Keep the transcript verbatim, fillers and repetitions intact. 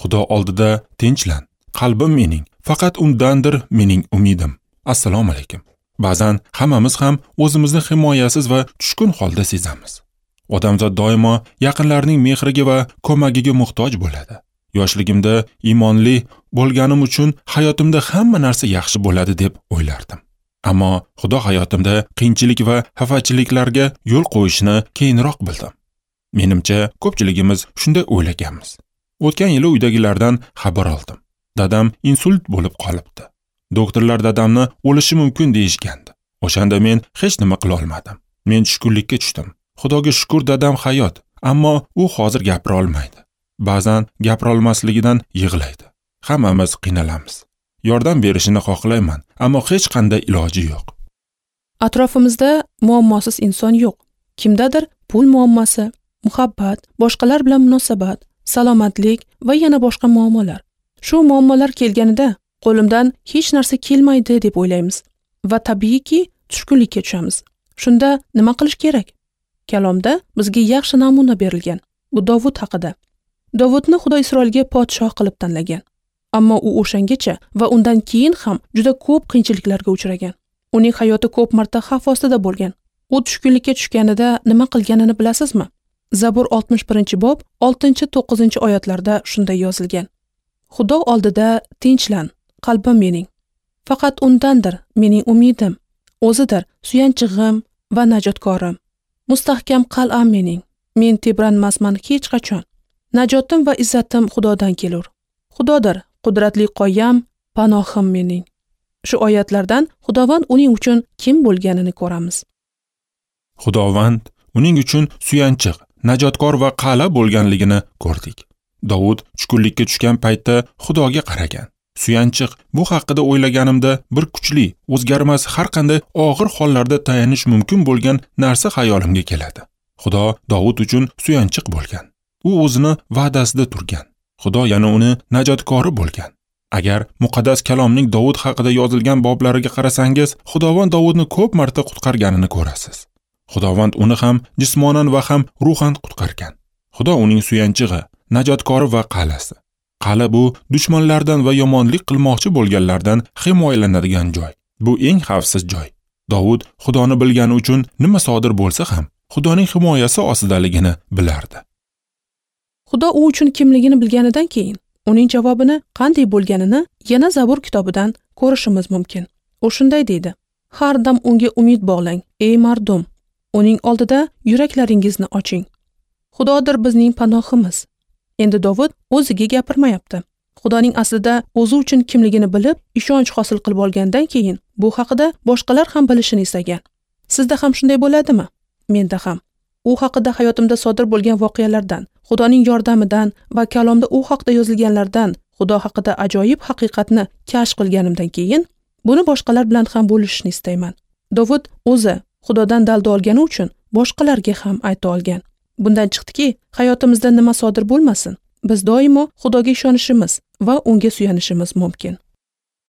Xudo oldida tinchlan, qalbim mening, faqat undandir mening umidim. Assalomu alaykum. Ba'zan hammamiz ham o'zimizni himoyasiz va tushkun holda sezamiz. Odamzod doimo yaqinlarining mehriga va ko'magiga muhtoj bo'ladi. Yoshligimda iymonli bo'lganim uchun hayotimda hamma narsa yaxshi bo'ladi deb o'ylardim. Ammo Xudo hayotimda qiyinchilik va xafachiliklarga yo'l qo'yishini keyinroq bildim. Menimcha, ko'pchiligimiz shunday o'ylaganmiz. O'tgan yili uydagilardan xabar oldim. Dadam insult bo'lib qolibdi. Doktorlar dadamni o'lishi mumkin deyishgandi. O'shanda men hech nima qila olmadim. Men tushkunlikka tushdim. Xudoga shukr, dadam hayot, ammo u hozir gapira olmaydi. Ba'zan gapira olmasligidan yig'laydi. Hammamiz qiynalamiz. Yordam berishini xohlayman, ammo hech qanday iloji yo'q. Atrofimizda muammosiz inson yo'q. Kimdadir pul muammosi, muhabbat, boshqalar bilan munosabat, salomatlik va yana boshqa muammolar. Shu muammolar kelganida qo'limdan hech narsa kelmaydi deb o'ylaymiz va tabiiyki tushkunlikka tushamiz. Shunda nima qilish kerak? Kalomda bizga yaxshi namuna berilgan. Bu Dovud haqida. Dovudni Xudo Isroilga podshoh qilib tanlagan. Ammo u o'shangacha va undan keyin ham juda ko'p qiyinchiliklarga uchragan. Uning hayoti ko'p marta xavf ostida bo'lgan. U tushkunlikka tushganida nima qilganini bilasizmi? Zabur oltmish birinchi bob oltinchi to'qqizinchi oyatlarda shunday yozilgan. Xudo oldida tinchlan, qalbim mening. Faqat undandir mening umidim. O'zidir suyanchig'im va najotkorim. Mustahkam qal'am mening. Men tebranmasman hech qachon. Najotim va izzatim Xudodan kelur. Xudodir qudratli qoyam, panohim mening. Shu oyatlardan Xudovand uning uchun kim bo'lganini ko'ramiz. Xudovand uning uchun suyanchiq, najotkor va qal'a bo'lganligini ko'rdik. Dovud tushkunlikka tushgan paytda Xudoga qaragan. Suyanchiq, bu haqida o'ylaganimda bir kuchli, o'zgarmas, har qanday og'ir hollarda tayanish mumkin bo'lgan narsa xayolimga keladi. Xudo Dovud uchun suyanchiq bo'lgan. U o'zini va'dasida turgan. Xudo yana uni najotkori bo'lgan. Agar muqaddas kalomning Dovud haqida yozilgan boblariga qarasangiz, Xudovand Dovudni ko'p marta qutqarganini ko'rasiz. Xudovand uni ham jismonan va ham ruhan qutqargan. Xudo uning suyanchig'i, najotkori va qal'asi. Qal'a bu dushmanlardan va yomonlik qilmoqchi bo'lganlardan himoyalanadigan joy. Bu eng xavfsiz joy. Dovud Xudoni bilgani uchun nima sodir bo'lsa ham, Xudoning himoyasi ostidaligini bilardi. Xudo u uchun kimligini bilganidan keyin uning javobini qanday bo'lganini yana Zabur kitobidan ko'rishimiz mumkin. U shunday deydi: Har dam unga umid bog'lang, ey mardum. Uning oldida yuraklaringizni oching. Xudodir bizning panohimiz. Endi Dovud o'ziga gapirmayapti. Xudoning aslida o'zi uchun kimligini bilib, ishonch hosil qilib olgandan keyin bu haqida boshqalar ham bilishini istagan. Sizda ham shunday bo'ladimi? Menda ham. U haqida hayotimda sodir bo'lgan voqealardan, Xudoning yordamidan va kalomda u haqda yozilganlardan, Xudo haqida ajoyib haqiqatni kashf qilganimdan keyin buni boshqalar bilan ham bo'lishishni istayman. Dovud o'zi Xudodan dalda olgani uchun boshqalarga ham ayta olgan. Bundan chiqdiki, hayotimizda nima sodir bo'lmasin, biz doimo Xudoga ishonishimiz va unga suyanishimiz mumkin.